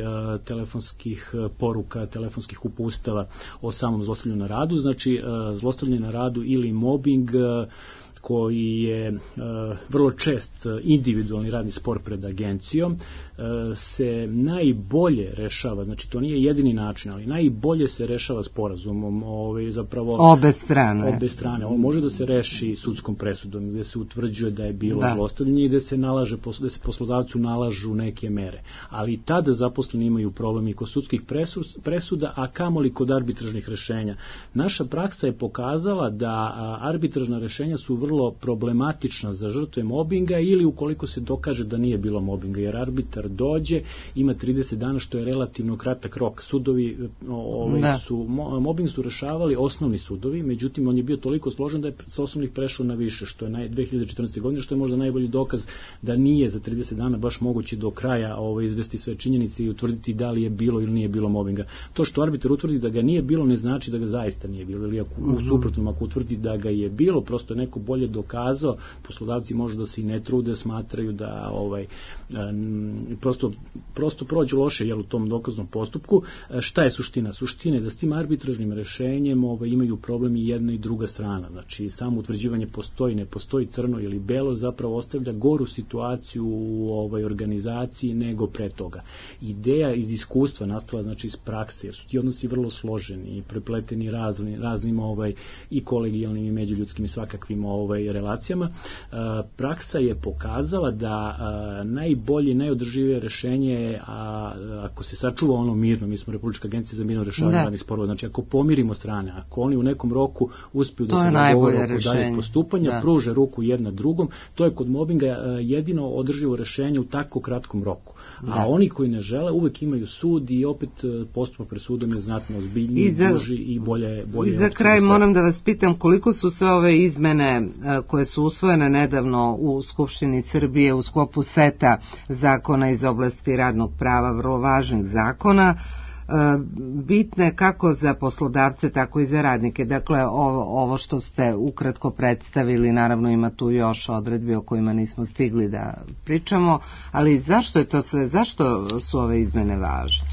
telefonskih poruka, telefonskih upustava o samom zlostavljanju na radu. Znači, zlostavljanje na radu ili mobbing koji je uh, vrlo čest individualni radni spor pred agencijom, uh, se najbolje rešava, znači to nije jedini način, ali najbolje se rešava sporazumom, ovaj, zapravo obe strane. Obe strane. On može da se reši sudskom presudom, gde se utvrđuje da je bilo da. zlostavljanje i gde se nalaže, da se poslodavcu nalažu neke mere. Ali i tada zaposleni imaju problem i kod sudskih presuda, a kamoli kod arbitražnih rešenja. Naša praksa je pokazala da arbitražna rešenja su vrlo problematična za žrtve mobinga ili ukoliko se dokaže da nije bilo mobinga, jer arbitar dođe, ima trideset dana, što je relativno kratak rok. Sudovi ovaj, su, mobing su rešavali osnovni sudovi, međutim on je bio toliko složen da je sa osnovnih prešao na više, što je naj, dve hiljade četrnaeste. godine, što je možda najbolji dokaz da nije za trideset dana baš moguće do kraja ovaj, izvesti sve činjenice i utvrditi da li je bilo ili nije bilo mobinga. To što arbitar utvrdi da ga nije bilo ne znači da ga zaista nije bilo, ili ako, u suprotnom, ako utvrdi da ga je bilo, prosto je neko bolje dokazao, poslodavci možda da se i ne trude, smatraju da ovaj, um, prosto, prosto prođu loše jel, u tom dokaznom postupku. Šta je suština? Suština je da s tim arbitražnim rešenjem ovaj, imaju problem i jedna i druga strana. Znači, samo utvrđivanje postoji, ne postoji crno ili belo, zapravo ostavlja goru situaciju u ovaj, organizaciji nego pre toga. Ideja iz iskustva nastala, znači iz prakse, jer su ti odnosi vrlo složeni i prepleteni raznim, raznim ovaj, i kolegijalnim i međuljudskim i svakakvim ovaj, relacijama. Praksa je pokazala da najbolje, najodrživije rešenje je ako se sačuva ono mirno, mi smo Republička agencija za mirno rešavanje radnih sporova, znači ako pomirimo strane, ako oni u nekom roku uspiju da se dogovore oko daljeg postupanja, da. pruže ruku jedna drugom, to je kod mobinga jedino održivo rešenje u tako kratkom roku. Da. A oni koji ne žele uvek imaju sud i opet postupak pred sudom je znatno ozbiljniji, duži i bolje bolje. I za kraj moram da vas pitam koliko su sve ove izmene koje su usvojene nedavno u Skupštini Srbije u sklopu seta zakona iz oblasti radnog prava, vrlo važnih zakona, bitne kako za poslodavce, tako i za radnike. Dakle, ovo, ovo što ste ukratko predstavili, naravno ima tu još odredbi o kojima nismo stigli da pričamo, ali zašto je to sve, zašto su ove izmene važne?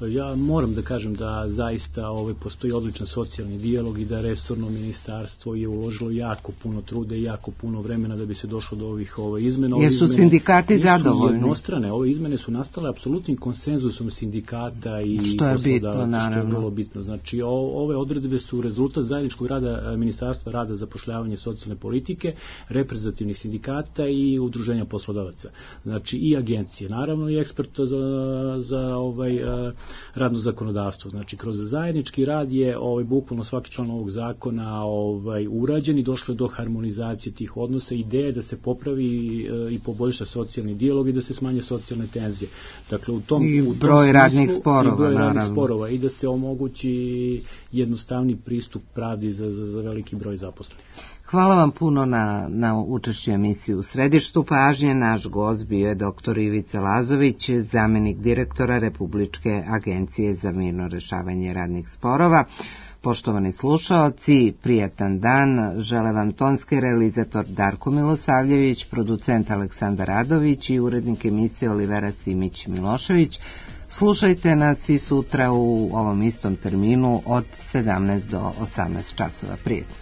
Ja moram da kažem da zaista ovaj, postoji odličan socijalni dijalog i da resorno ministarstvo je uložilo jako puno trude i jako puno vremena da bi se došlo do ovih ovaj, izmena. Jer su sindikati zadovoljni? Jednostrane, ove izmene su nastale apsolutnim konsenzusom sindikata i što je bitno, naravno. Što je vrlo bitno. Znači, o, ove odredbe su rezultat zajedničkog rada Ministarstva rada, zapošljavanje, socijalne politike, reprezentativnih sindikata i udruženja poslodavaca. Znači, i agencije, naravno i eksperta za, za ovaj, radno zakonodavstvo. Znači, kroz zajednički rad je ovaj, bukvalno svaki član ovog zakona ovaj, urađen i došlo je do harmonizacije tih odnosa. Ideja je da se popravi i poboljša socijalni dijalog i da se smanje socijalne tenzije. Dakle, u tom, I u tom broj smislu, radnih sporova, i broj naravno. radnih sporova i da se omogući jednostavni pristup pravdi za, za, za veliki broj zaposlenih. Hvala vam puno na, na učešću emisiju. U središtu pažnje naš gost bio je doktor Ivica Lazović, zamenik direktora Republičke agencije za mirno rešavanje radnih sporova. Poštovani slušaoci, prijatan dan, žele vam tonski realizator Darko Milosavljević, producent Aleksandar Radović i urednik emisije Olivera Simić-Milošević. Slušajte nas i sutra u ovom istom terminu od sedamnaest do osamnaest časova. Prijetno.